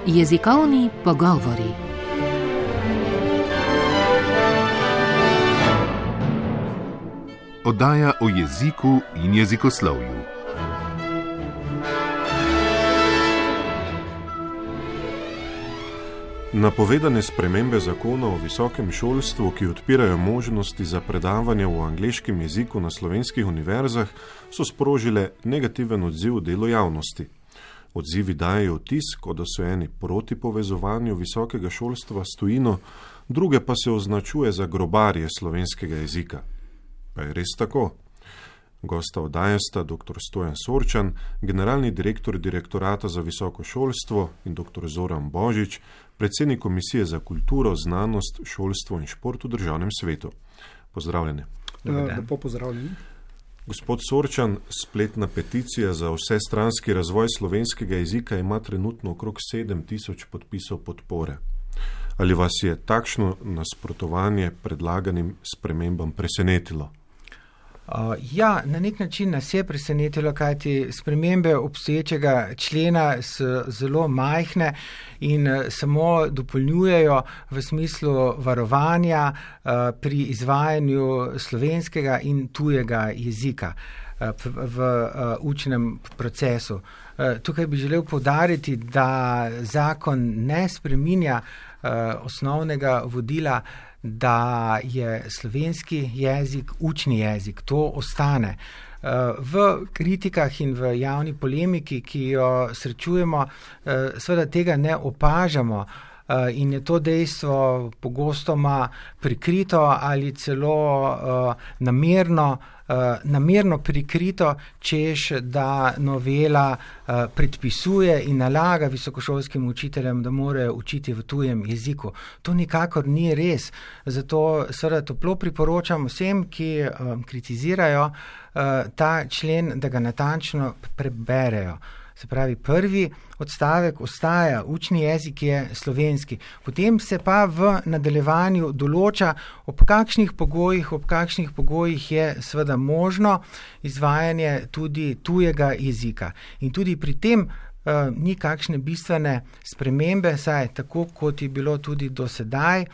Jezikovni pogovori. Oddaja o jeziku in jezikoslovju. Napovedane spremembe zakona o visokem šolstvu, ki odpirajo možnosti za predavanje v angleškem jeziku na slovenskih univerzah, so sprožile negativen odziv v delu javnosti. Odzivi dajejo vtis, kot da so eni proti povezovanju visokega šolstva s tujino, druge pa se označuje za grobarje slovenskega jezika. Pa je res tako? Gosta oddaje sta dr. Stojan Sorčan, generalni direktor Direktorata za visoko šolstvo, in dr. Zoran Božič, predsednik Komisije za kulturo, znanost, šolstvo in šport v Državnem svetu. Pozdravljene. Lepo pozdravljeni. Gospod Sorčan, spletna peticija za vsestranski razvoj slovenskega jezika ima trenutno okrog 7000 podpisov podpore. Ali vas je takšno nasprotovanje predlaganim spremembam presenetilo? Ja, na nek način nas je presenetilo, kajti spremembe obstoječega člena so zelo majhne in samo dopolnjujejo v smislu varovanja pri izvajanju slovenskega in tujega jezika v učnem procesu. Tukaj bi želel poudariti, da zakon ne spreminja osnovnega vodila, da je slovenski jezik učni jezik. To ostane. V kritikah in v javni polemiki, ki jo srečujemo, seveda tega ne opažamo in je to dejstvo pogostoma prikrito ali celo namerno prikrito, češ da novela predpisuje in nalaga visokošolskim učiteljem, da morajo učiti v tujem jeziku. To nikakor ni res. Zato seveda toplo priporočam vsem, ki kritizirajo ta člen, da ga natančno preberejo. Se pravi, prvi odstavek ostaja, učni jezik je slovenski. Potem se pa v nadaljevanju določa, ob kakšnih pogojih je seveda možno izvajanje tudi tujega jezika. In tudi pri tem ni kakšne bistvene spremembe, saj tako kot je bilo tudi do sedaj,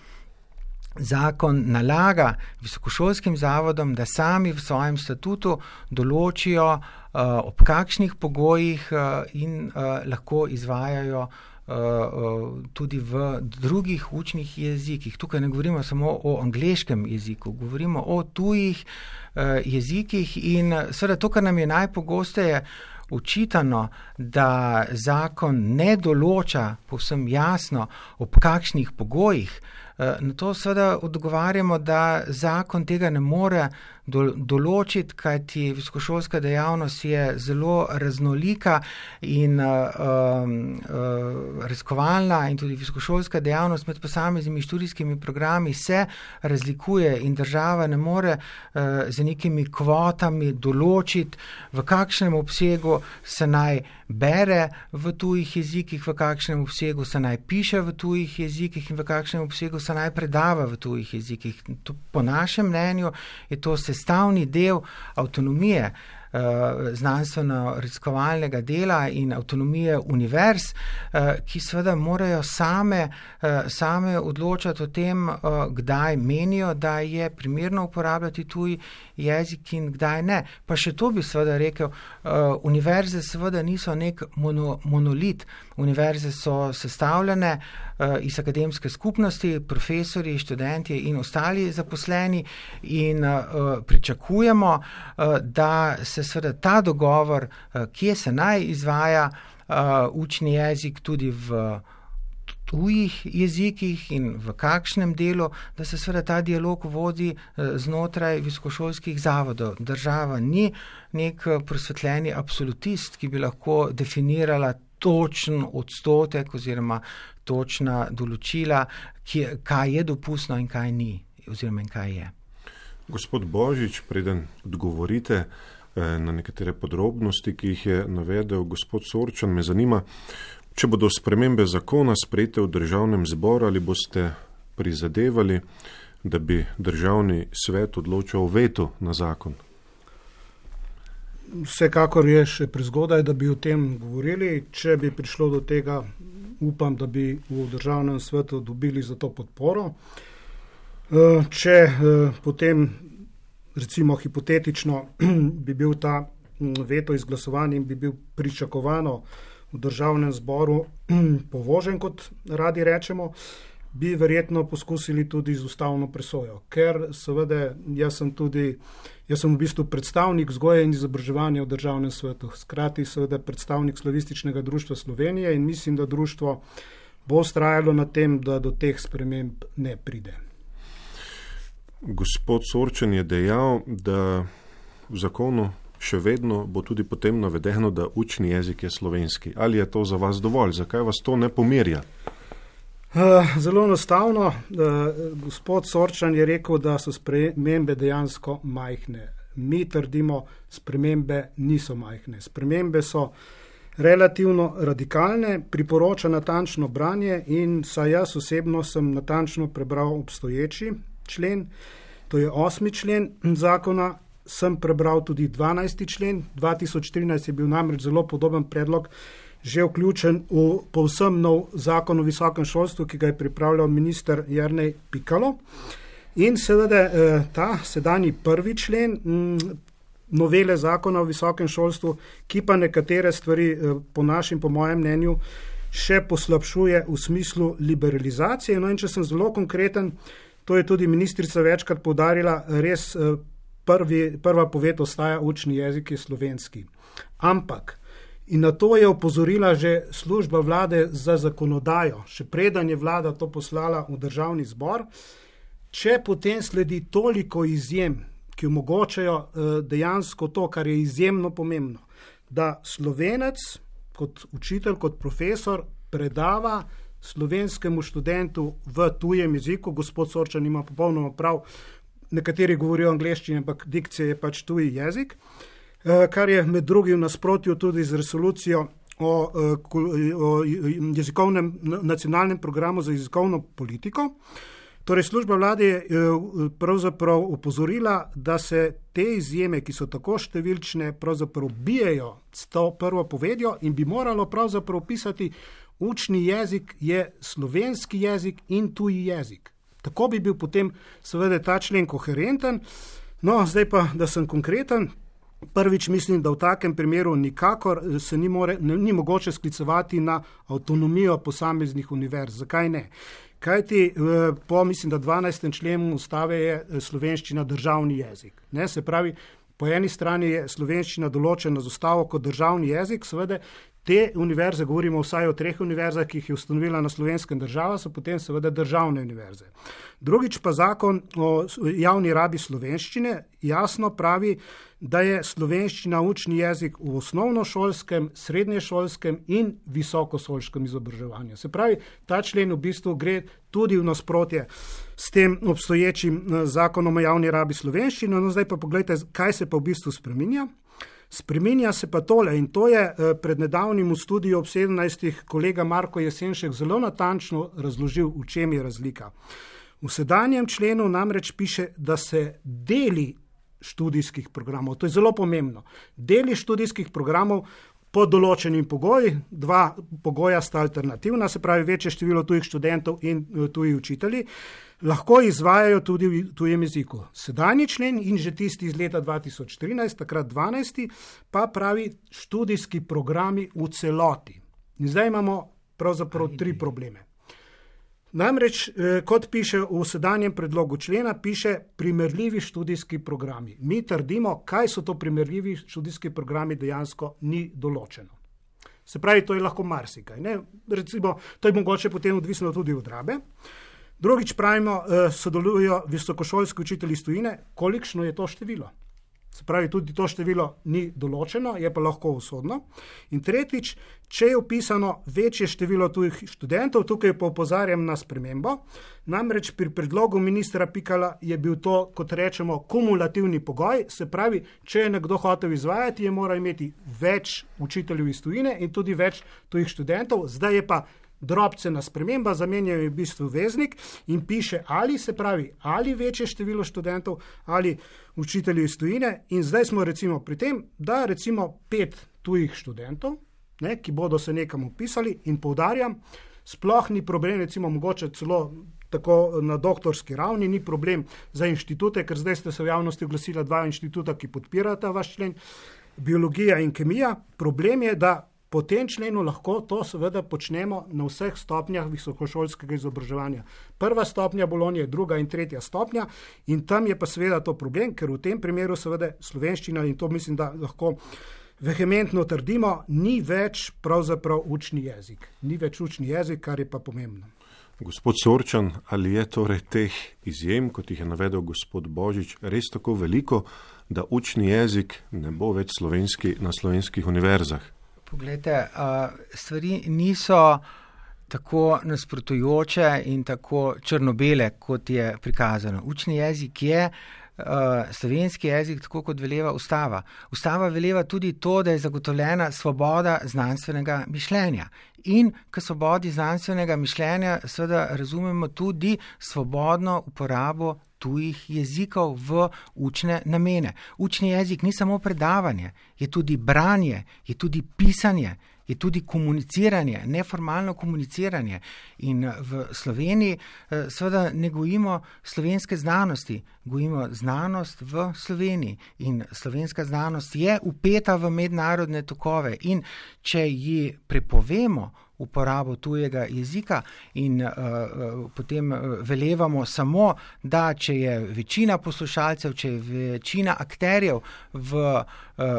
zakon nalaga visokošolskim zavodom, da sami v svojem statutu določijo, ob kakšnih pogojih in lahko izvajajo tudi v drugih učnih jezikih. Tukaj ne govorimo samo o angleškem jeziku, govorimo o tujih jezikih in seveda to, kar nam je najpogosteje očitano, da zakon ne določa povsem jasno, ob kakšnih pogojih. Na to seveda odgovarjamo, da zakon tega ne more določiti, kajti visokošolska dejavnost je zelo raznolika in raziskovalna in tudi visokošolska dejavnost med posameznimi študijskimi programi se razlikuje in država ne more z nekimi kvotami določiti, v kakšnem obsegu se naj bere v tujih jezikih, v kakšnem obsegu se naj piše v tujih jezikih in v kakšnem obsegu se naj predava v tujih jezikih. Po našem mnenju je to sestavni del avtonomije znanstveno-raziskovalnega dela in avtonomije univerz, ki seveda morajo same odločati o tem, kdaj menijo, da je primerno uporabljati tuj jezik in kdaj ne. Pa še to bi seveda rekel, univerze seveda niso nek monolit. Univerze so sestavljene iz akademske skupnosti, profesorji, študentje in ostali zaposleni in pričakujemo, da se seveda ta dogovor, kje se naj izvaja učni jezik tudi v tujih jezikih in v kakšnem delu, da se seveda ta dialog vodi znotraj visokošolskih zavodov. Država ni nek prosvetljeni absolutist, ki bi lahko definirala točen odstotek oziroma točna določila, kaj je dopustno in kaj ni, oziroma in kaj je. Gospod Božič, preden odgovorite na nekatere podrobnosti, ki jih je navedel gospod Sorčan, me zanima, če bodo spremembe zakona sprejete v Državnem zboru, ali boste prizadevali, da bi Državni svet odločal o vetu na zakon? Vsekakor je še prezgodaj, da bi o tem govorili. Če bi prišlo do tega, upam, da bi v državnem svetu dobili za to podporo. Če potem, recimo hipotetično, bi bil ta veto izglasovan in bi bil pričakovano v državnem zboru povožen, kot radi rečemo, bi verjetno poskusili tudi z ustavno presojo, ker seveda jaz sem v bistvu predstavnik vzgoje in izobraževanja v državnem svetu, hkrati seveda predstavnik Slavističnega društva Slovenije in mislim, da društvo bo vztrajalo na tem, da do teh sprememb ne pride. Gospod Sorčen je dejal, da v zakonu še vedno bo tudi potem navedeno, da učni jezik je slovenski. Ali je to za vas dovolj? Zakaj vas to ne pomirja? Zelo enostavno. Gospod Sorčan je rekel, da so spremembe dejansko majhne. Mi trdimo, spremembe niso majhne. Spremembe so relativno radikalne, priporoča natančno branje in saj jaz osebno sem natančno prebral obstoječi člen, to je 8. člen zakona, sem prebral tudi 12. člen, 2013 je bil namreč zelo podoben predlog že vključen v povsem nov zakon o visokem šolstvu, ki ga je pripravljal minister Jernej Pikalo. In seveda ta sedanji 1. člen novele zakona o visokem šolstvu, ki pa nekatere stvari po mojem mnenju še poslabšuje v smislu liberalizacije. No in če sem zelo konkreten, to je tudi ministrica večkrat poudarila, res prva poved ostaja učni jezik je slovenski. Ampak in na to je opozorila že služba vlade za zakonodajo, še preden je vlada to poslala v državni zbor, če potem sledi toliko izjem, ki omogočajo dejansko to, kar je izjemno pomembno, da Slovenec kot učitelj, kot profesor predava slovenskemu študentu v tujem jeziku, gospod Sorčan ima popolnoma prav, nekateri govorijo angleščini, ampak dikcija je pač tuji jezik, kar je med drugim nasprotju tudi z resolucijo o jezikovnem nacionalnem programu za jezikovno politiko. Torej, služba vlade je pravzaprav opozorila, da se te izjeme, ki so tako številčne, pravzaprav bijejo s to prvo povedjo in bi moralo pravzaprav pisati učni jezik je slovenski jezik in tuji jezik. Tako bi bil potem seveda ta člen koherenten. No, zdaj pa, da sem konkreten, prvič mislim, da v takem primeru nikakor se ni mogoče sklicevati na avtonomijo posameznih univerz. Zakaj ne? Kajti po, mislim, da 12. členu ustave je slovenščina državni jezik. Ne? Se pravi, po eni strani je slovenščina določena z ustavo kot državni jezik, seveda te univerze, govorimo vsaj o 3 univerzah, ki jih je ustanovila na slovenskem država, so potem seveda državne univerze. Drugič pa zakon o javni rabi slovenščine jasno pravi, da je slovenščina učni jezik v osnovnošolskem, srednješolskem in visokošolskem izobraževanju. Se pravi, ta člen v bistvu gre tudi v nasprotje s tem obstoječim zakonom o javni rabi slovenščine. No, zdaj pa pogledajte, kaj se pa v bistvu spreminja. Spreminja se pa tole in to je pred nedavnim v studiju ob 17. kolega Marko Jesenšek zelo natančno razložil, v čem je razlika. V sedanjem členu namreč piše, da se deli študijskih programov, to je zelo pomembno, deli študijskih programov pod določenim pogoji, 2 pogoja sta alternativna, se pravi večje število tujih študentov in tuji učitelji, lahko izvajajo tudi v tujem jeziku. Sedanji člen in že tisti iz leta 2013, takrat 12, pa pravi študijski programi v celoti. In zdaj imamo pravzaprav 3 probleme. Namreč, kot piše v sedanjem predlogu člena, piše primerljivi študijski programi. Mi trdimo, kaj so to primerljivi študijski programi, dejansko ni določeno. Se pravi, to je lahko marsikaj. Ne? Recimo, to je mogoče potem odvisno tudi od rabe. Drugič pravimo, sodelujo visokošolski učitelji iz tujine, kolikšno je to število. Se pravi, tudi to število ni določeno, je pa lahko usodno. In tretjič, če je upisano večje število tujih študentov, tukaj pa opozarjam na spremembo, namreč pri predlogu ministra Pikala je bil to, kot rečemo, kumulativni pogoj, se pravi, če je nekdo hotel izvajati, je moral imeti več učiteljev iz tujine in tudi več tujih študentov, zdaj je pa drobcena sprememba, zamenjajo v bistvu veznik in piše ali, se pravi, ali večje število študentov ali učitelji iz tujine in zdaj smo recimo pri tem, da recimo 5 tujih študentov ki bodo se nekam upisali in poudarjam, sploh ni problem, recimo mogoče celo tako na doktorski ravni, ni problem za inštitute, ker zdaj ste se v javnosti oglasila 2 inštituta, ki podpirata vaš člen, biologija in kemija. Problem je, da po tem členu lahko to seveda počnemo na vseh stopnjah visokošolskega izobraževanja. 1. stopnja Bolonje, 2. in 3. stopnja in tam je pa seveda to problem, ker v tem primeru seveda slovenščina, in to mislim, da lahko vehementno trdimo, ni več pravzaprav učni jezik. Ni več učni jezik, kar je pa pomembno. Gospod Sorčan, ali je torej teh izjem, kot jih je navedel gospod Božič, res tako veliko, da učni jezik ne bo več slovenski na slovenskih univerzah? Poglejte, stvari niso tako nasprotujoče in tako črno-bele, kot je prikazano. Učni jezik je slovenski jezik, tako kot veleva ustava. Ustava veleva tudi to, da je zagotovljena svoboda znanstvenega mišljenja. In k svobodi znanstvenega mišljenja seveda razumemo tudi svobodno uporabo tujih jezikov v učne namene. Učni jezik ni samo predavanje, je tudi branje, je tudi pisanje, je tudi komuniciranje, neformalno komuniciranje. In v Sloveniji seveda ne gojimo slovenske znanosti, gojimo znanost v Sloveniji. In slovenska znanost je vpeta v mednarodne tokove in če ji prepovemo uporabo tujega jezika in potem velevamo samo, da če je večina poslušalcev, če je večina akterjev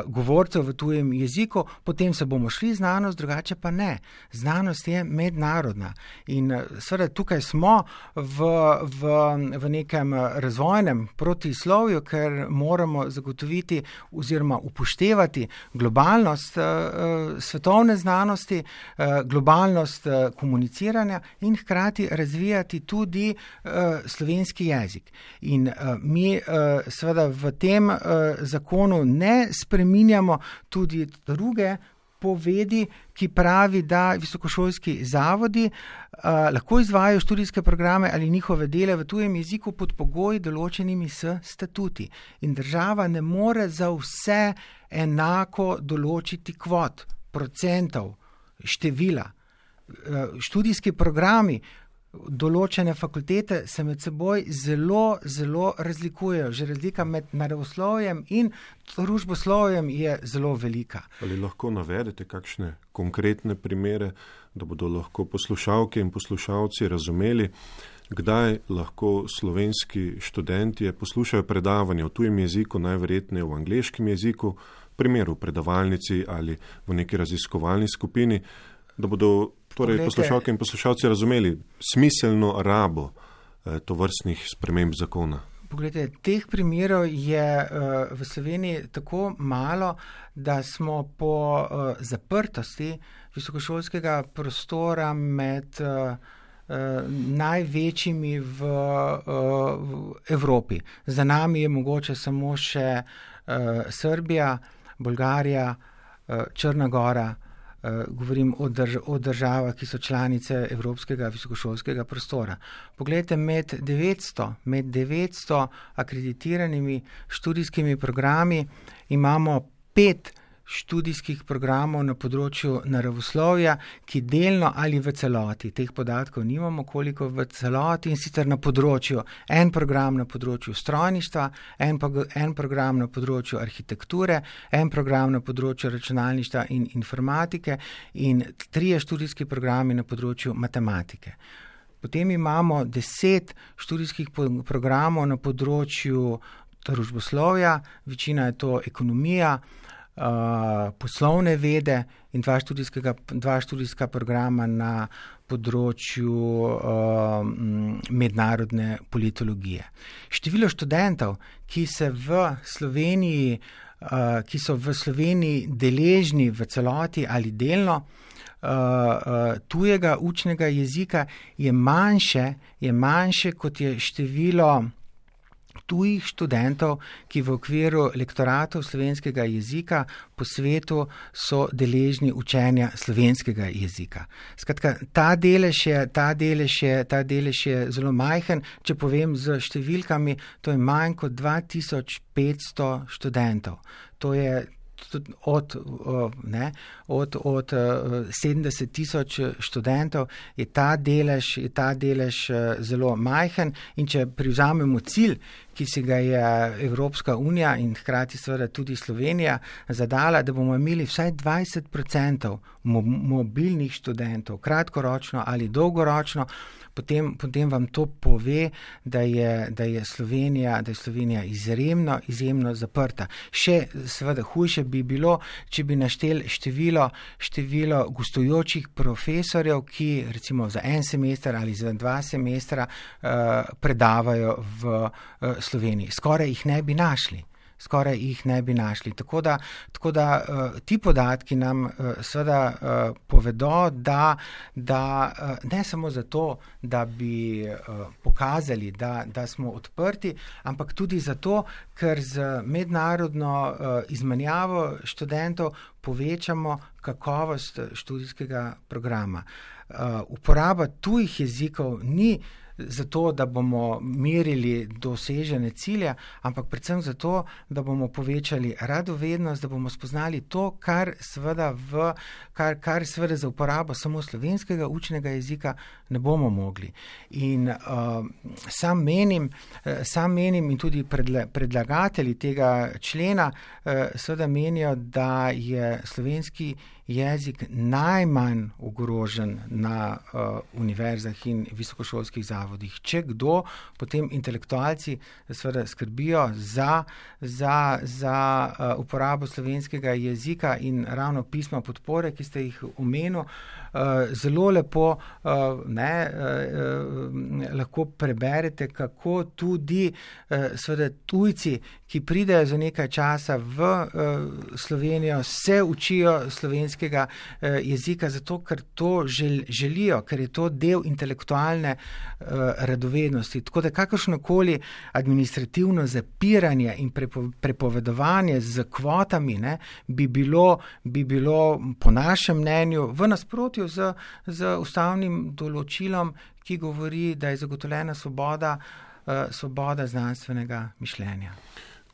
govorcev v tujem jeziku, potem se bomo šli znanost, drugače pa ne. Znanost je mednarodna in seveda tukaj smo v nekem razvojnem protislovju, ker moramo zagotoviti oziroma upoštevati globalnost svetovne znanosti, globalnost komuniciranja in hkrati razvijati tudi slovenski jezik. In mi seveda v tem zakonu ne spreminjamo tudi druge povedi, ki pravi, da visokošolski zavodi lahko izvajajo študijske programe ali njihove dele v tujem jeziku pod pogoji določenimi s statuti. In država ne more za vse enako določiti kvot, procentov, števila. Študijski programi, določene fakultete se med seboj zelo, zelo razlikujejo. Že razlika med naravoslovjem in družboslovjem je zelo velika. Ali lahko navedete kakšne konkretne primere, da bodo lahko poslušalke in poslušalci razumeli, kdaj lahko slovenski študentje poslušajo predavanje v tujem jeziku, najverjetneje v angleškem jeziku, v primeru predavalnici ali v neki raziskovalni skupini, da bodo torej poslušalke in poslušalci razumeli smiselno rabo tovrstnih sprememb zakona? Poglejte, teh primerov je v Sloveniji tako malo, da smo po zaprtosti visokošolskega prostora med največjimi v Evropi. Za nami je mogoče samo še Srbija, Bolgarija, Črna Gora, govorim o državah, ki so članice Evropskega visokošolskega prostora. Poglejte, med 900 akreditiranimi študijskimi programi imamo 5 študijskih programov na področju naravoslovja, ki delno ali v celoti, teh podatkov nimamo koliko v celoti, in sicer na področju, en program na področju strojništva, en program na področju arhitekture, en program na področju računalništva in informatike in 3 študijski programi na področju matematike. Potem imamo 10 študijskih programov na področju družboslovja, večina je to ekonomija, poslovne vede in 2 študijska programa na področju mednarodne politologije. Število študentov, ki so v Sloveniji deležni v celoti ali delno tujega učnega jezika, je manjše kot je število tujih študentov, ki v okviru lektoratov slovenskega jezika po svetu so deležni učenja slovenskega jezika. Skratka, ta delež je zelo majhen, če povem z številkami, to je manj kot 2500 študentov. To je od 70,000 študentov je ta delež zelo majhen in če privzamemo cilj, ki si ga je Evropska unija in hkrati seveda tudi Slovenija zadala, da bomo imeli vsaj 20% mobilnih študentov, kratkoročno ali dolgoročno, potem vam to pove, da je Slovenija izjemno zaprta. Še seveda hujše bi bilo, če bi našteli število gostujočih profesorjev, ki recimo za en semester ali za 2 semestra predavajo v Sloveniji. Skoraj jih ne bi našli. Tako da ti podatki nam seveda povedo, da ne samo zato, da bi pokazali, da smo odprti, ampak tudi zato, ker z mednarodno izmenjavo študentov povečamo kakovost študijskega programa. Uporaba tujih jezikov ni zato, da bomo merili dosežene cilje, ampak predvsem zato, da bomo povečali radovednost, da bomo spoznali to, kar seveda za uporabo samo slovenskega učnega jezika ne bomo mogli. In sam menim in tudi predlagatelji tega člena seveda menijo, da je slovenski jezik najmanj ogrožen na univerzah in visokošolskih zavodih. Če kdo, potem intelektualci seveda skrbijo za uporabo slovenskega jezika in ravno pisma podpore, ki ste jih omenili, zelo lepo lahko preberete, kako tudi seveda tujci, ki pridejo za nekaj časa v Slovenijo, se učijo slovenskega jezika, zato ker to želijo, ker je to del intelektualne radovednosti. Tako da kakršnokoli administrativno zapiranje in prepovedovanje z kvotami bi bilo po našem mnenju v nasprotju z ustavnim določilom, ki govori, da je zagotovljena svoboda znanstvenega mišljenja.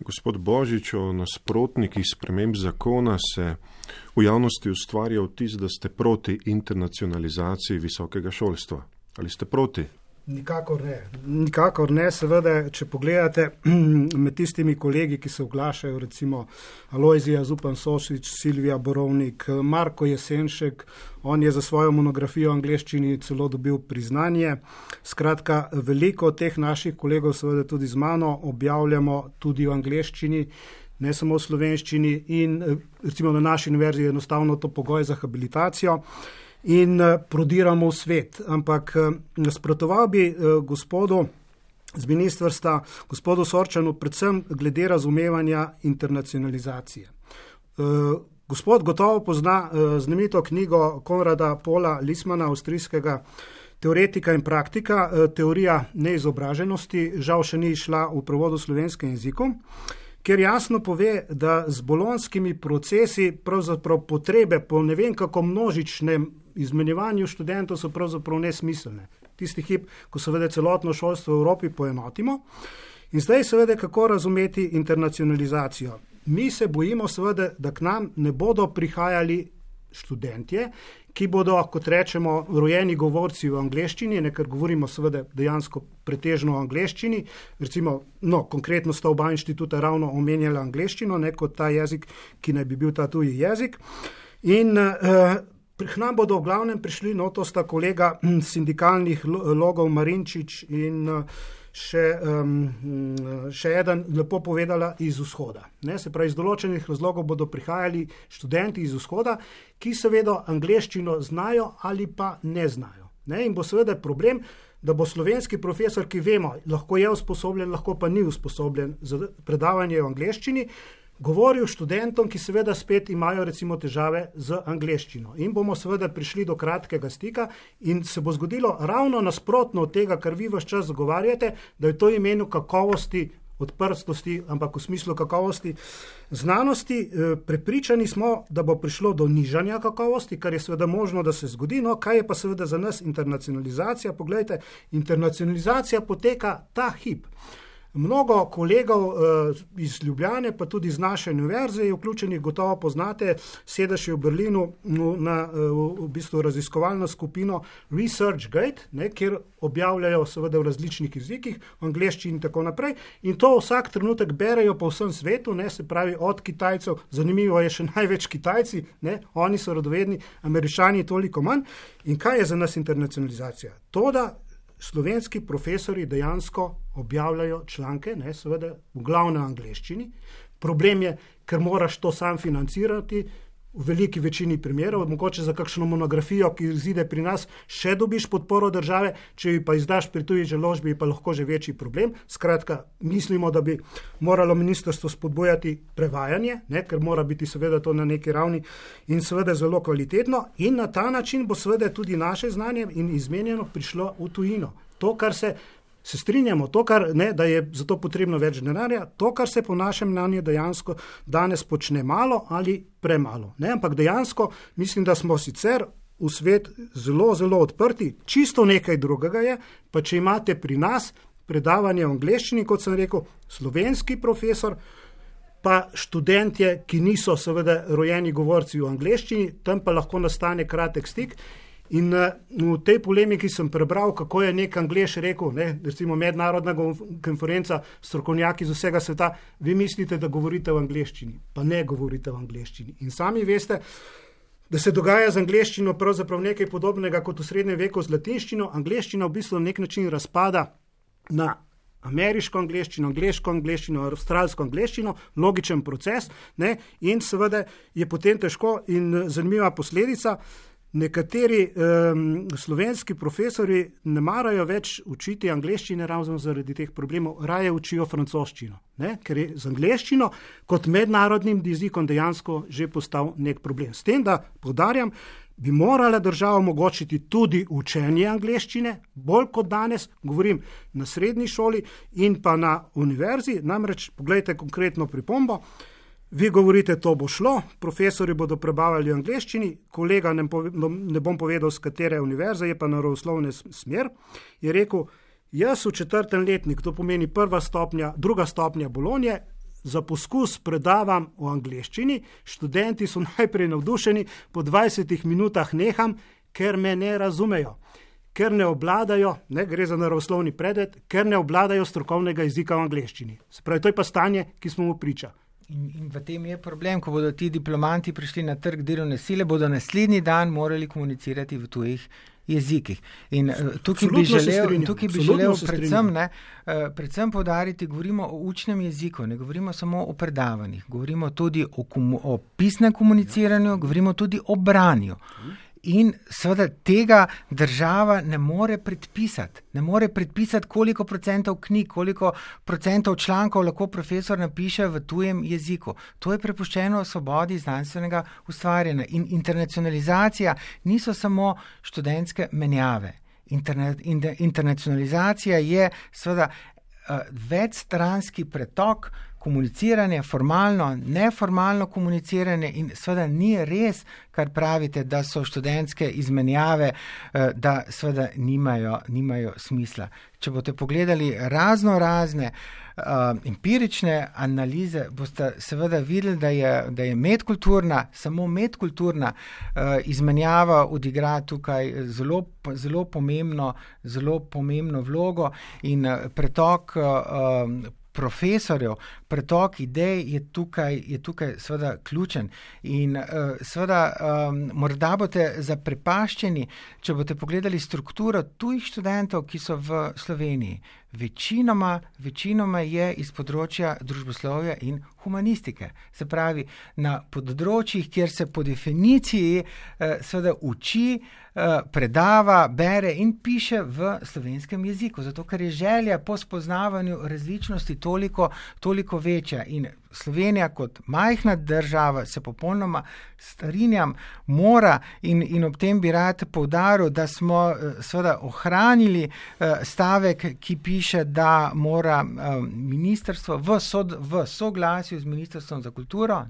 Gospod Božič, o nasprotnikih sprememb zakona se v javnosti ustvarja vtis, da ste proti internacionalizaciji visokega šolstva. Ali ste proti? Nikakor ne. Seveda, če pogledate med tistimi kolegi, ki se oglašajo, recimo Alojzija Zupan Sošič, Silvija Borovnik, Marko Jesenšek, on je za svojo monografijo v angleščini celo dobil priznanje. Skratka, veliko teh naših kolegov, seveda tudi z mano, objavljamo tudi v angleščini, ne samo v slovenščini in recimo na naši univerzi je enostavno to pogoj za habilitacijo. In prodiramo v svet. Ampak nasprotoval bi gospodu z ministrstva, gospodu Sorčanu, predvsem glede razumevanja internacionalizacije. Gospod gotovo pozna znamenito knjigo Konrada Paula Lismana, avstrijskega teoretika in praktika, teorija neizobraženosti, žal še ni išla v prevodu v slovenskem jeziku, ker jasno pove, da z bolonskimi procesi pravzaprav potrebe po ne vem kako množičnem izmenjevanju študentov so pravzaprav nesmiselne. Tisti hip, ko seveda celotno šolstvo v Evropi poenotimo. In zdaj seveda, kako razumeti internacionalizacijo. Mi se bojimo seveda, da k nam ne bodo prihajali študentje, ki bodo, kot rečemo, rojeni govorci v angleščini, ker govorimo seveda dejansko pretežno o angleščini. Recimo, konkretno sta oba inštituta ravno omenjala angleščino, kot ta jezik, ki naj bi bil ta tuji jezik. In k nam bodo v glavnem prišli, to sta kolega sindikalnih logov Marinčič in še eden lepo povedala iz vzhoda. Se pravi, iz določenih razlogov bodo prihajali študenti iz vzhoda, ki seveda angleščino znajo ali pa ne znajo. In bo seveda problem, da bo slovenski profesor, ki vemo, lahko je usposobljen, lahko pa ni usposobljen za predavanje v angleščini, govoril študentom, ki seveda spet imajo recimo težave z angleščino. In bomo seveda prišli do kratkega stika in se bo zgodilo ravno nasprotno od tega, kar vi ves čas zagovarjate, da je to imenu kakovosti, odprtosti, ampak v smislu kakovosti znanosti. Prepričani smo, da bo prišlo do nižanja kakovosti, kar je seveda možno, da se zgodi. Kaj je pa seveda za nas internacionalizacija? Poglejte, internacionalizacija poteka ta hip. Mnogo kolegov iz Ljubljane, pa tudi iz naše univerze je vključenih, gotovo poznate, sedež je v Berlinu v bistvu raziskovalno skupino ResearchGate, kjer objavljajo seveda v različnih jezikih, v angleščini in tako naprej. In to vsak trenutek berejo po vsem svetu, se pravi od Kitajcev, zanimivo je še največ Kitajci, oni so radovedni, Američani toliko manj. In kaj je za nas internacionalizacija? To, da slovenski profesori dejansko objavljajo članke, seveda v glavnem angleščini. Problem je, ker moraš to sam financirati, v veliki večini primerov, mogoče za kakšno monografijo, ki izide pri nas, še dobiš podporo države, če ji pa izdaš pri tuji založbi, pa lahko že večji problem. Skratka, mislimo, da bi moralo ministrstvo spodbujati prevajanje, ker mora biti seveda to na neki ravni in seveda zelo kvalitetno, in na ta način bo seveda tudi naše znanje in izmenjeno prišlo v tujino. To, kar se strinjamo, to, kar da je za to potrebno več denarja, to, kar se po našem mnenju dejansko danes počne malo ali premalo. Ampak dejansko mislim, da smo sicer v svet zelo, zelo odprti. Čisto nekaj drugega je, pa če imate pri nas predavanje v angleščini, kot sem rekel, slovenski profesor, pa študentje, ki niso seveda rojeni govorci v angleščini, tam pa lahko nastane kratek stik. In v tej polemiki sem prebral, kako je nek Anglež rekel, recimo mednarodna konferenca, strokovnjaki iz vsega sveta, vi mislite, da govorite v angleščini, pa ne govorite v angleščini. In sami veste, da se dogaja z angleščino pravzaprav nekaj podobnega kot v srednjem veku z latinščino. Angleščina v bistvu na nek način razpada na ameriško angleščino, angleško angleščino, avstralsko angleščino, logičen proces, in seveda je potem težko in zanimiva posledica. Nekateri slovenski profesori ne marajo več učiti angleščine ravno zaradi teh problemov, raje učijo francoščino, ker je z angleščino kot mednarodnim jezikom dejansko že postal nek problem. S tem, da poudarjam, bi morala država omogočiti tudi učenje angleščine, bolj kot danes, govorim na srednji šoli in pa na univerzi, namreč pogledajte konkretno pripombo. Vi govorite, to bo šlo, profesori bodo prebavljali v angleščini, kolega, ne bom povedal, z katere univerze, je pa naravoslovne smer, je rekel, jaz v 4. letnik, to pomeni 1. stopnja, 2. stopnja Bolonje, za poskus predavam v angleščini, študenti so najprej navdušeni, po 20 minutah neham, ker me ne razumejo, ker ne obvladajo, gre za naravoslovni predmet, ker ne obvladajo strokovnega jezika v angleščini. Se pravi, to je pa stanje, ki smo mu priča. In v tem je problem, ko bodo ti diplomanti prišli na trg delovne sile, bodo naslednji dan morali komunicirati v tujih jezikih. In tukaj bi želel predvsem poudariti, govorimo o učnem jeziku, ne govorimo samo o predavanjih, govorimo tudi o pisnem komuniciranju, govorimo tudi o branju. In seveda tega država ne more predpisati, koliko procentov knjig, koliko procentov člankov lahko profesor napiše v tujem jeziku. To je prepuščeno svobodi znanstvenega ustvarjanja. In internacionalizacija niso samo študentske menjave. Internacionalizacija je seveda večstranski pretok, komuniciranje, formalno, neformalno komuniciranje in seveda ni res, kar pravite, da so študentske izmenjave, da seveda nimajo smisla. Če boste pogledali razne empirične analize, boste seveda videli, da je samo medkulturna izmenjava odigra tukaj zelo pomembno vlogo in pretok profesorjev, pretok idej je tukaj seveda ključen in seveda morda boste zaprepaščeni, če boste pogledali strukturo tujih študentov, ki so v Sloveniji. Večinoma je iz področja družboslovja in humanistike. Se pravi, na področjih, kjer se po definiciji seveda uči, predava, bere in piše v slovenskem jeziku, zato ker je želja po spoznavanju različnosti toliko večja in Slovenija kot majhna država, se popolnoma strinjam, mora in ob tem bi rad poudaril, da smo seveda ohranili stavek, ki piše, da mora ministrstvo v soglasju z Ministrstvom za kulturo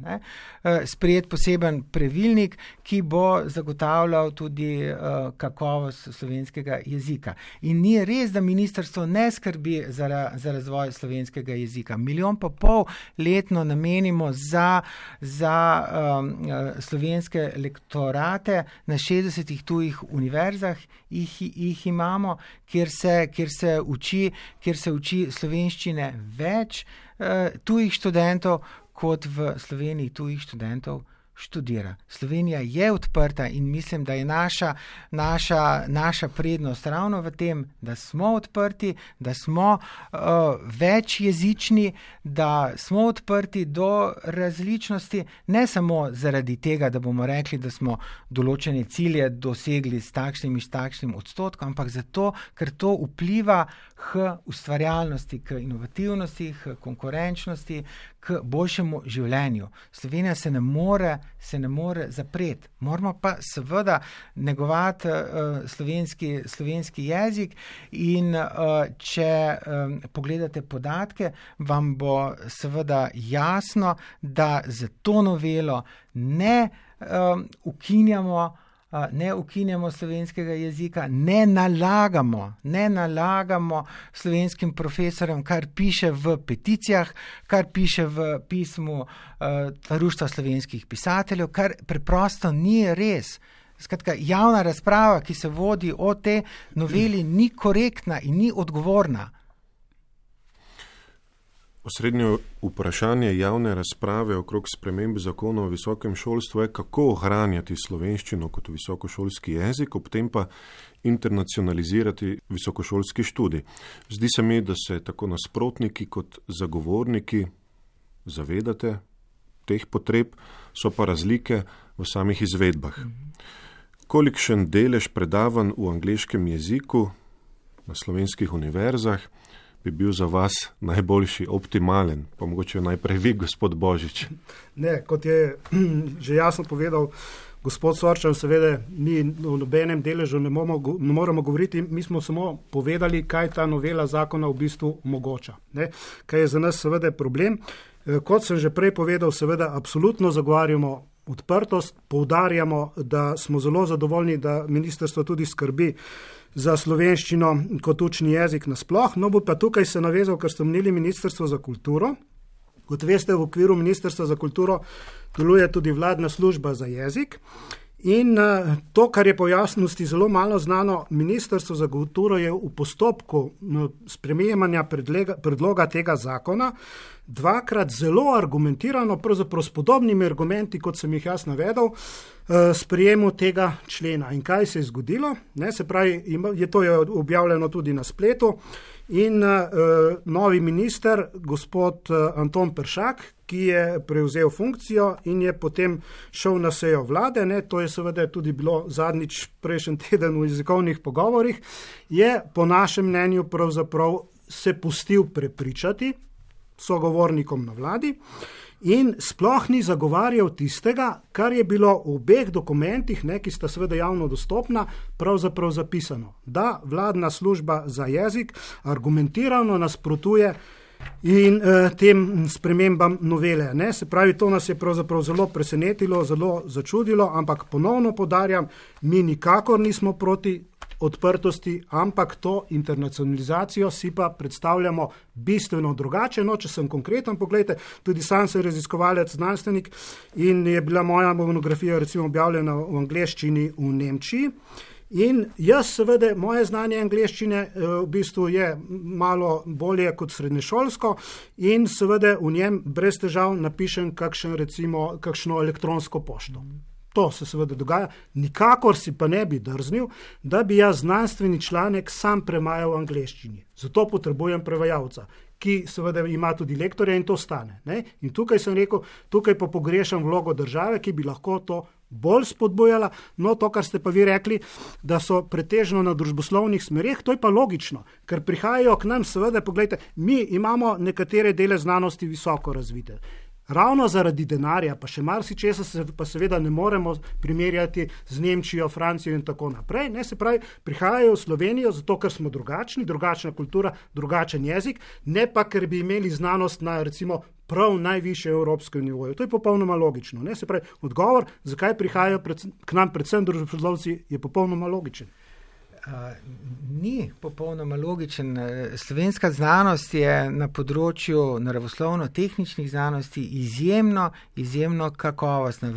sprejeti poseben pravilnik, ki bo zagotavljal tudi kakovost slovenskega jezika. In ni res, da ministrstvo ne skrbi za razvoj slovenskega jezika. 1,5 milijona letno namenimo za slovenske lektorate na 60 tujih univerzah, jih imamo, kjer se uči slovenščine več tujih študentov, kot v Sloveniji tujih študentov študira. Slovenija je odprta in mislim, da je naša prednost ravno v tem, da smo odprti, da smo večjezični, da smo odprti do različnosti, ne samo zaradi tega, da bomo rekli, da smo določene cilje dosegli s takšnim odstotkom, ampak zato, ker to vpliva k ustvarjalnosti, k inovativnosti, k konkurenčnosti, k boljšemu življenju. Slovenija se ne more zapreti. Moramo pa seveda negovati slovenski jezik in če pogledate podatke, vam bo seveda jasno, da za to novelo ne ukinjamo slovenskega jezika, ne nalagamo slovenskim profesorjem, kar piše v peticijah, kar piše v pismu Društva slovenskih pisateljev, kar preprosto ni res. Skratka, javna razprava, ki se vodi o tej noveli, ni korektna in ni odgovorna. Osrednje vprašanje javne razprave okrog sprememb zakona o visokem šolstvu je, kako ohranjati slovenščino kot visokošolski jezik, ob tem pa internacionalizirati visokošolski študij. Zdi se mi, da se tako nasprotniki kot zagovorniki zavedate teh potreb, so pa razlike v samih izvedbah. Kolikšen delež predavanj v angleškem jeziku na slovenskih univerzah bi bil za vas najboljši, optimalen? Pa mogoče najprej vi, gospod Božič. Ne, kot je že jasno povedal gospod Sorčan, seveda mi o nobenem deležu ne moramo govoriti, mi smo samo povedali, kaj ta novela zakona v bistvu omogoča. Kaj je za nas seveda problem. Kot sem že prej povedal, seveda absolutno zagovarjamo odprtost, poudarjamo, da smo zelo zadovoljni, da ministrstvo tudi skrbi za slovenščino kot učni jezik nasploh. No, bo pa tukaj se navezal, ker ste omenili Ministrstvo za kulturo. Kot veste, v okviru Ministrstva za kulturo deluje tudi vladna služba za jezik. In to, kar je po jasnosti zelo malo znano, Ministrstvo za kulturo je v postopku sprejemanja predloga tega zakona dvakrat zelo argumentirano, pravzaprav s podobnimi argumenti, kot sem jih jaz navedel, sprejemu tega člena. In kaj se je zgodilo? Se pravi, to je objavljeno tudi na spletu in novi minister, gospod Anton Peršak, ki je prevzel funkcijo in je potem šel na sejo vlade, to je seveda tudi bilo zadnjič prejšnji teden v jezikovnih pogovorih, je po našem mnenju pravzaprav se pustil prepričati sogovornikom na vladi in sploh ni zagovarjal tistega, kar je bilo v obeh dokumentih, ki sta seveda javno dostopna, pravzaprav zapisano, da vladna služba za jezik argumentirano nasprotuje in tem spremembam novele. Se pravi, to nas je pravzaprav zelo presenetilo, zelo začudilo, ampak ponovno poudarjam, mi nikakor nismo proti odprtosti, ampak to internacionalizacijo si pa predstavljamo bistveno drugače. Če sem konkreten, pogledajte, tudi sam sem raziskovalec, znanstvenik in je bila moja monografija recimo objavljena v angleščini v Nemčiji. In jaz seveda, moje znanje angleščine v bistvu je malo bolje kot srednješolsko in seveda v njem brez težav napišem kakšno elektronsko pošto. To se seveda dogaja, nikakor si pa ne bi drznil, da bi jaz znanstveni članek sam premajal v angleščini. Zato potrebujem prevajalca, ki seveda ima tudi lektorja in to stane. In tukaj sem rekel, tukaj pa pogrešam vlogo države, ki bi lahko to bolj spodbujala. No, to, kar ste pa vi rekli, da so pretežno na družboslovnih smereh, to je pa logično, ker prihajajo k nam seveda, pogledajte, mi imamo nekatere dele znanosti visoko razvite. ravno zaradi denarja, pa še marsičesa se pa seveda ne moremo primerjati z Nemčijo, Francijo in tako naprej. Ne, se pravi, prihajajo v Slovenijo zato, ker smo drugačni, drugačna kultura, drugačen jezik, ne pa, ker bi imeli znanost na recimo prav najvišje evropskem nivoju. To je popolnoma logično. Ne? Se pravi, odgovor, zakaj prihajajo k nam predvsem družboslovci, je popolnoma logičen. Ni popolnoma logičen. Slovenska znanost je na področju naravoslovno-tehničnih znanosti izjemno kakovostna,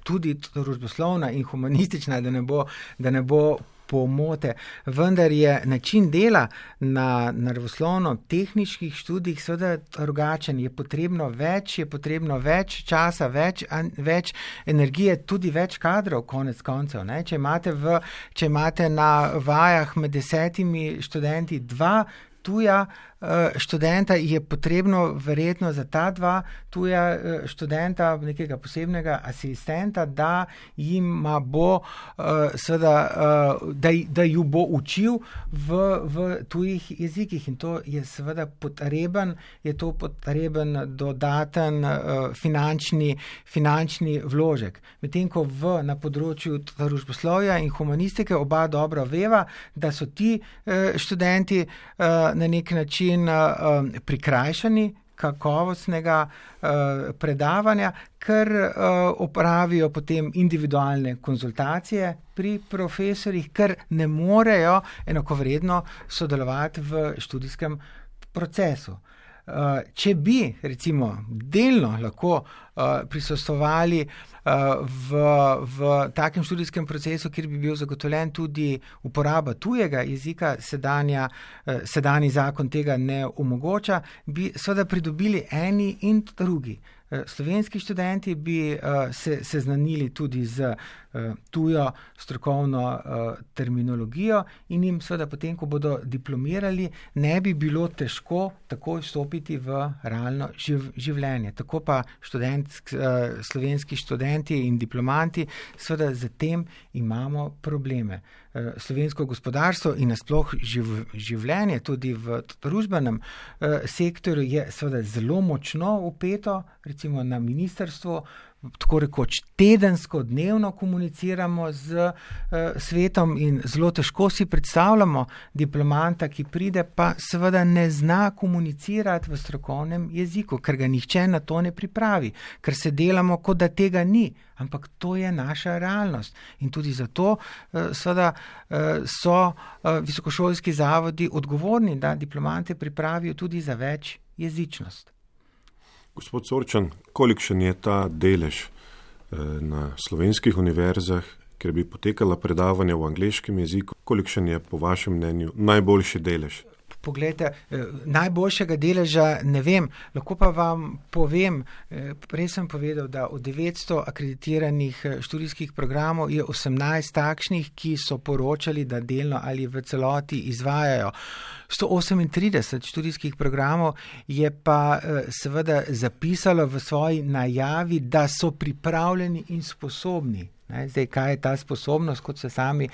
tudi družboslovna in humanistična, da ne bo pomote, vendar je način dela na naravoslovno-tehničnih študijih seveda drugačen. Je potrebno več časa, več energije, tudi več kadrov, konec koncev. Ne? Če imate na vajah med 10 študenti 2 tuja študenta, je potrebno verjetno za ta 2 tuja študenta nekega posebnega asistenta, da jima bo da ju bo učil v tujih jezikih, in to je seveda potreben dodaten finančni vložek. Medtem ko na področju družboslovja in humanistike oba dobro veva, da so ti študenti na nek način prikrajšani kakovostnega predavanja, ker opravijo potem individualne konzultacije pri profesorjih, ker ne morejo enakovredno sodelovati v študijskem procesu. Če bi recimo delno lahko prisostvovali v takem študijskem procesu, kjer bi bil zagotovljen tudi uporaba tujega jezika, sedanji zakon tega ne omogoča, bi seveda pridobili eni in drugi. Slovenski študenti bi se seznanili tudi z tujo strokovno terminologijo in jim seveda potem, ko bodo diplomirali, ne bi bilo težko takoj vstopiti v realno življenje. Tako pa slovenski študenti in diplomanti, seveda z tem imamo probleme. Slovensko gospodarstvo in nasploh življenje tudi v družbenem sektorju je seveda zelo močno vpeto, recimo na ministrstvu, tako rekoč tedensko, dnevno komuniciramo z svetom in zelo težko si predstavljamo diplomanta, ki pride, pa seveda ne zna komunicirati v strokovnem jeziku, ker ga nihče na to ne pripravi, ker se delamo, kot da tega ni, ampak to je naša realnost. In tudi zato seveda so visokošolski zavodi odgovorni, da diplomante pripravijo tudi za več jezičnost. Gospod Sorčan, kolikšen je ta delež na slovenskih univerzah, kjer bi potekala predavanja v angleškem jeziku? Kolikšen je po vašem mnenju najboljši delež? Poglejte, najboljšega deleža ne vem, lahko pa vam povem, prej sem povedal, da od 900 akreditiranih študijskih programov je 18 takšnih, ki so poročali, da delno ali v celoti izvajajo. 138 študijskih programov je pa seveda zapisalo v svoji najavi, da so pripravljeni in sposobni. Zdaj, kaj je ta sposobnost, kot se sami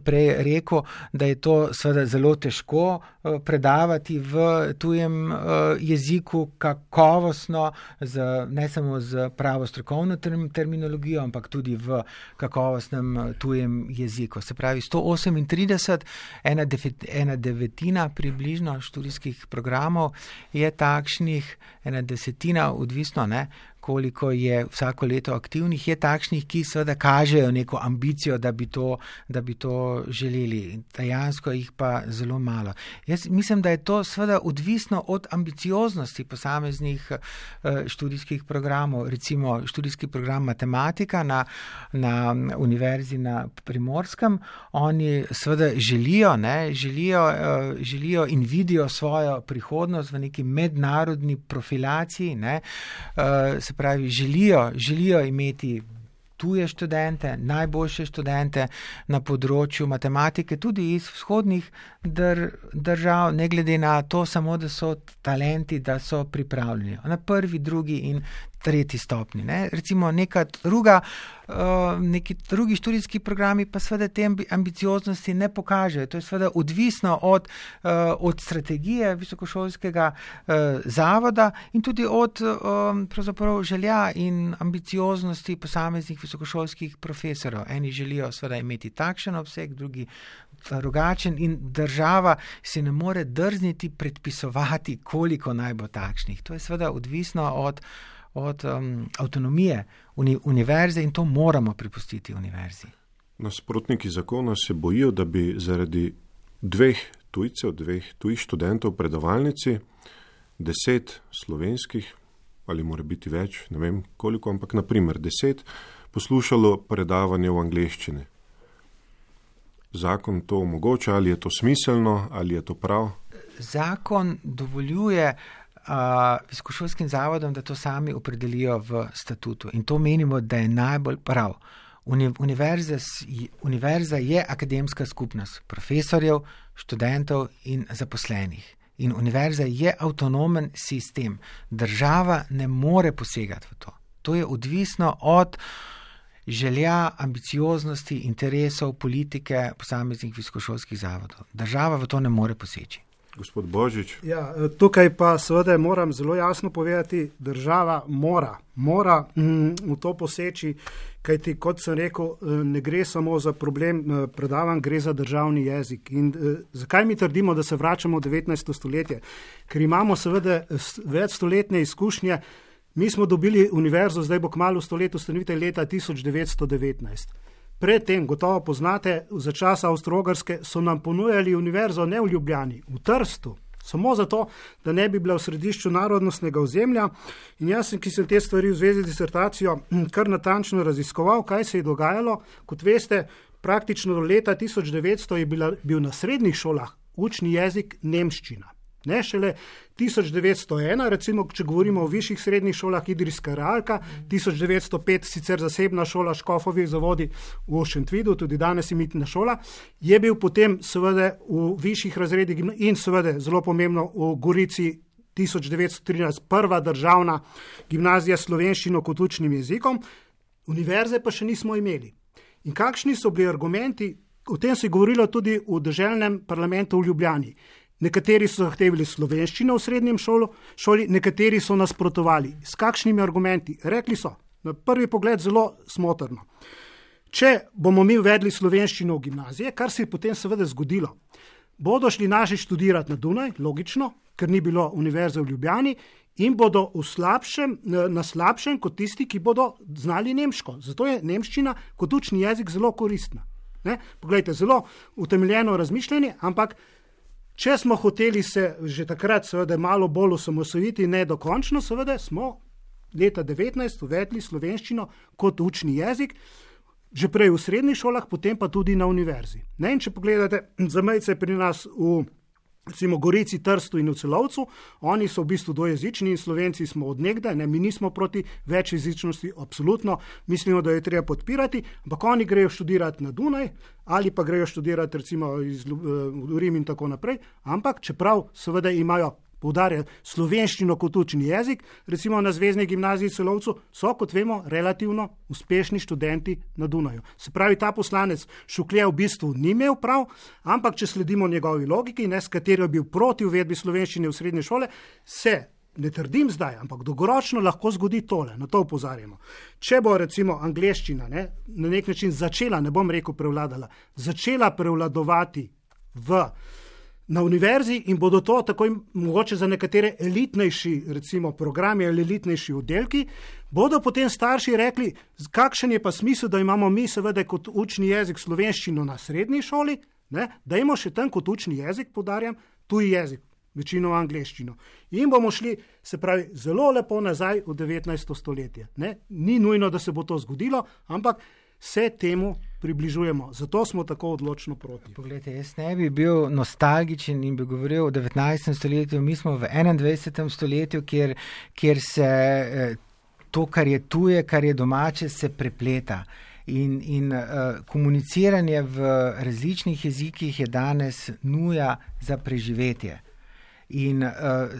prej rekel, da je to seveda zelo težko predavati v tujem jeziku kakovostno, ne samo z pravo strokovno terminologijo, ampak tudi v kakovostnem tujem jeziku. Se pravi, 138, ena devetina približno študijskih programov je takšnih, ena desetina, odvisno, koliko je vsako leto aktivnih, je takšnih, ki seveda kažejo neko ambicijo, da bi to želeli. Dejansko jih pa zelo malo. Jaz mislim, da je to seveda odvisno od ambicioznosti posameznih študijskih programov. Recimo študijski program matematika na Univerzi na Primorskem. Oni seveda želijo in vidijo svojo prihodnost v neki mednarodni profilaciji, se pravi, želijo imeti tuje študente, najboljše študente na področju matematike, tudi iz vzhodnih držav, ne glede na to samo, da so talenti, da so pripravljeni na prvi, drugi in tretji stopni. Ne? Recimo neki drugi študijski programi pa seveda te ambicioznosti ne pokažejo. To je seveda odvisno od strategije visokošolskega zavoda in tudi od pravzaprav želja in ambicioznosti posameznih visokošolskih profesorov. Eni želijo seveda imeti takšen obseg, drugi drugačen in država si ne more drzniti predpisovati, koliko naj bo takšnih. To je seveda odvisno od avtonomije univerze in to moramo prepustiti univerzi. Nasprotniki zakona se bojijo, da bi zaradi dveh tujih študentov predavalnici, 10 slovenskih, ali mora biti več, ne vem koliko, ampak naprimer 10, poslušalo predavanje v angleščini. Zakon to omogoča, ali je to smiselno, ali je to prav? Zakon dovoljuje visokošolskim zavodom, da to sami opredelijo v statutu. In to menimo, da je najbolj prav. Univerza je akademska skupnost profesorjev, študentov in zaposlenih. In univerza je avtonomen sistem. Država ne more posegati v to. To je odvisno od želja, ambicioznosti, interesov, politike posameznih visokošolskih zavodov. Država v to ne more poseči. Gospod Božič. Ja, tukaj pa seveda moram zelo jasno povedati, država mora v to poseči, kajti kot sem rekel, ne gre samo za problem predavanj, gre za državni jezik. In zakaj mi trdimo, da se vračamo v 19. stoletje? Ker imamo seveda večstoletne izkušnje. Mi smo dobili univerzo, zdaj bo kmalu stolet ustanovitelj leta 1919. Predtem, gotovo poznate, za časa Avstro-Ogrske so nam ponujali univerzo ne v Ljubljani, v Trstu, samo zato, da ne bi bila v središču narodnostnega ozemlja. In jaz, ki sem te stvari v zvezi z disertacijo kar natančno raziskoval, kaj se je dogajalo. Kot veste, praktično do leta 1900 je bil na srednjih šolah učni jezik nemščina. Ne šele 1901, recimo, če govorimo o višjih srednjih šolah, Idrijska realka, 1905 sicer zasebna šola Škofovih zavodi v Šentvidu, tudi danes imetna šola, je bil potem seveda v višjih razredih in seveda zelo pomembno v Gorici 1913 prva državna gimnazija s slovenščino kot učnim jezikom, univerze pa še nismo imeli. In kakšni so bili argumenti, o tem se je govorilo tudi v deželnem parlamentu v Ljubljani. Nekateri so zahtevali slovenščino v srednjem šoli, nekateri so nasprotovali. S kakšnimi argumenti? Rekli so, na prvi pogled zelo smotrno. Če bomo mi uvedli slovenščino v gimnazije, kar se je potem seveda zgodilo, bodo šli naši študirati na Dunaj, logično, ker ni bilo univerze v Ljubljani, in bodo na slabšem kot tisti, ki bodo znali nemško. Zato je nemščina kot učni jezik zelo koristna. Poglejte, zelo utemeljeno razmišljanje, ampak če smo hoteli se že takrat seveda malo bolj osamosvojiti, ne dokončno, seveda smo leta 19 uvedli slovenščino kot učni jezik, že prej v srednjih šolah, potem pa tudi na univerzi. In če pogledate zamejce pri nas v recimo Gorici, Trstu in v Celovcu, oni so v bistvu dvojezični in Slovenci smo od nekdaj, mi nismo proti večjezičnosti, absolutno mislimo, da jo treba podpirati, ampak oni grejo študirati na Dunaj ali pa grejo študirati recimo v Rim in tako naprej, ampak čeprav seveda imajo, poudarjajo, slovenščino kot učni jezik, recimo na Zvezni gimnaziji v Celovcu so, kot vemo, relativno uspešni študenti na Dunaju. Se pravi, ta poslanec Šuklje v bistvu ni imel prav, ampak če sledimo njegovi logiki, s katero je bil proti uvedbi slovenščine v srednje šole, se, ne trdim zdaj, ampak dolgoročno lahko zgodi tole, na to opozarjamo. Če bo recimo angleščina na nek način začela, ne bom rekel prevladala, začela prevladovati na univerzi in bodo to tako mogoče za nekatere elitnejši recimo programi ali elitnejši oddelki, bodo potem starši rekli, kakšen je pa smisel, da imamo mi seveda kot učni jezik slovenščino na srednji šoli, da imamo še tam kot učni jezik, poudarjam, tuji jezik, večino angleščino. In bomo šli, se pravi, zelo lepo nazaj v 19. stoletje. Ni nujno, da se bo to zgodilo, ampak se temu približujemo. Zato smo tako odločno proti. Poglejte, jaz ne bi bil nostalgičen in bi govoril o 19. stoletju. Mi smo v 21. stoletju, kjer se to, kar je tuje, kar je domače, se prepleta. In komuniciranje v različnih jezikih je danes nuja za preživetje. In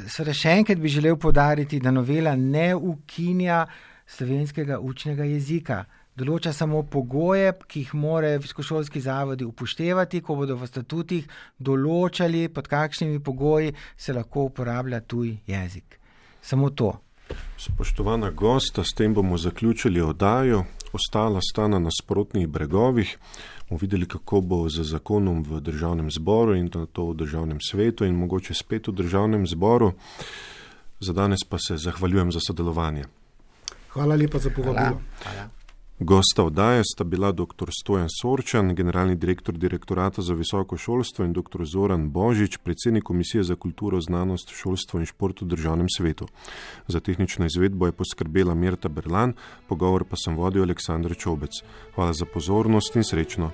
seveda še enkrat bi želel poudariti, da novela ne ukinja slovenskega učnega jezika. Določa samo pogoje, ki jih morajo visokošolski zavodi upoštevati, ko bodo v statutih določali, pod kakšnimi pogoji se lahko uporablja tuj jezik. Samo to. Spoštovana gosta, s tem bomo zaključili oddajo. Ostala sta na nasprotnih bregovih. Bomo videli, kako bo z zakonom v državnem zboru in to v državnem svetu in mogoče spet v državnem zboru. Za danes pa se zahvaljujem za sodelovanje. Hvala lepa za povabilo. Hvala. Gosta oddaje sta bila dr. Stojan Sorčan, generalni direktor Direktorata za visoko šolstvo in dr. Zoran Božič, predsednik Komisije za kulturo, znanost, šolstvo in šport v državnem svetu. Za tehnično izvedbo je poskrbela Mirta Berlan, pogovor pa sem vodil Aleksandar Čobec. Hvala za pozornost in srečno.